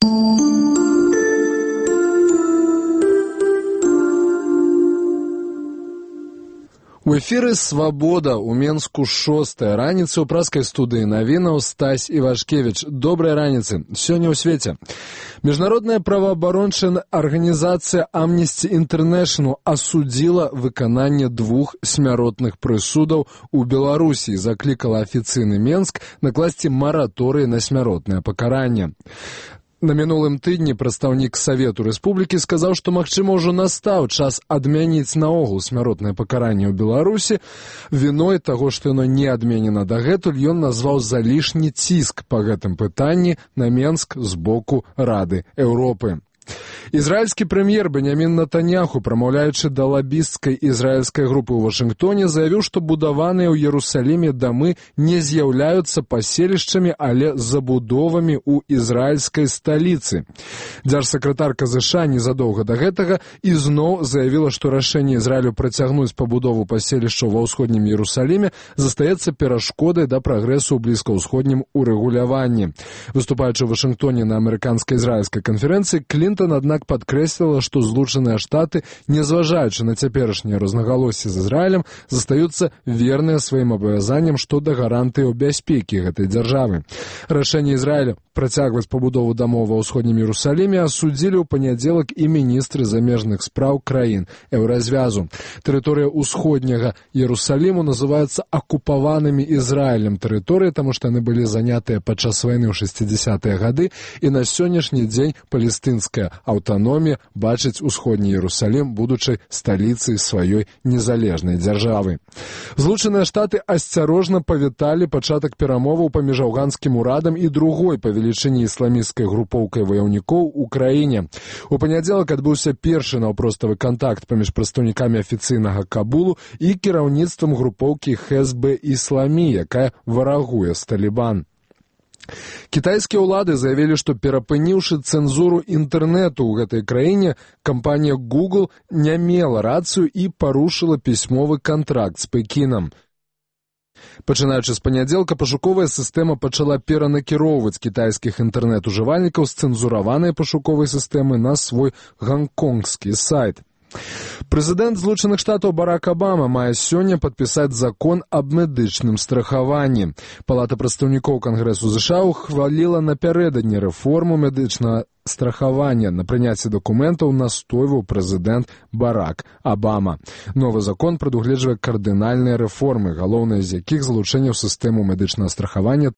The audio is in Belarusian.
У эфіры «Свабода» у Менску 6-я раніца ў праскай студыі навінаў Стась Івашкевіч. Добрай раніцы. Сёння ў свеце. Міжнародная праваабарончая арганізацыя Amnesty International асудзіла выкананне 2 смяротных прысудаў у Беларусі і заклікала афіцыйны Менск накласці мараторый на смяротнае пакаранне. На мінулым тыдні прадстаўнік Савету Рэспублікі сказаў, што, магчыма, ўжо настаў час адмяніць наогул смяротнае пакаранне ў Беларусі. Віной таго, што яно не адменена дагэтуль, ён назваў залішні ціск па гэтым пытанні на Менск з боку Рады Еўропы. Ізраільскі прэм'ер Беньямін Нетаньяху, прамаўляючы да лабісцкай ізраільскай групы ў Вашынгтоне, заявіў, што будаваныя ў Іерусаліме дамы не з'яўляюцца паселішчамі, але забудовамі ў ізраільскай сталіцы. Дзяржсакратарка ЗША незадоўга да гэтага ізноў заявіла, што рашэнне Ізраілю працягнуць пабудову паселішчаў ва ўсходнім Іерусаліме застаецца перашкодай да прагрэсу ў блізкаўсходнім урэгуляванні. Выступаючы ў Вашынгтоне на амерыканска-ізраільскай канферэнцыі, Клінтон, аднак, падкрэсліла, што Злучаныя Штаты, незважаючы на цяперашнія рознагалоссі з Ізраілем, застаюцца верныя сваім абавязанням што да гарантыяў бяспекі гэтай дзяржавы. Рашэнне Ізраіля працягваць пабудову дамоў ва ўсходнім Іерусаліме асудзілі ў панядзелак і міністры замежных спраў краін Еўразвязу. Тэрыторыя ўсходняга Іерусаліму называецца акупаванымі Ізраілем тэрыторыі, таму што яны былі занятыя падчас вайны ў 60-е гады, і на сённяшні дзень палестынская аўтаномія бачыць усходні Іерусалім будучай сталіцай сваёй незалежнай дзяржавы. Злучаныя Штаты асцярожна павіталі пачатак перамоваў паміж афганскім урадам і другой па велічыні ісламісцкай групоўкай ваяўнікоў у краіне. У панядзелак адбыўся першы наўпроставы кантакт паміж прадстаўнікамі афіцыйнага Кабулу і кіраўніцтвам групоўкі Хезбе Ісламі, якая варагуе з Талібан. Кітайскія ўлады заявілі, што, перапыніўшы цэнзуру інтэрнэту ў гэтай краіне, кампанія Google не мела рацыю і парушыла пісьмовы кантракт з Пекінам. Пачынаючы з панядзелка, пашуковая сістэма пачала перанакіроўваць кітайскіх інтэрнэт-ужывальнікаў з цэнзураванай пашуковай сістэмы на свой гаnkонгскі сайт. Прэзідэнт Злучаных Штатаў Барак Абама мае сёння падпісаць закон аб медычным страхаванні. Палата прадстаўнікоў Кангрэсу ЗША ухваліла напярэдадні рэформу медычнага страхавання. На прыняцці дакументаў настойваў прэзідэнт Барак Абама. Новы закон прадугледжвае кардынальныя рэформы, галоўныя з якіх залучэнне ў сістэму медычнага страхавання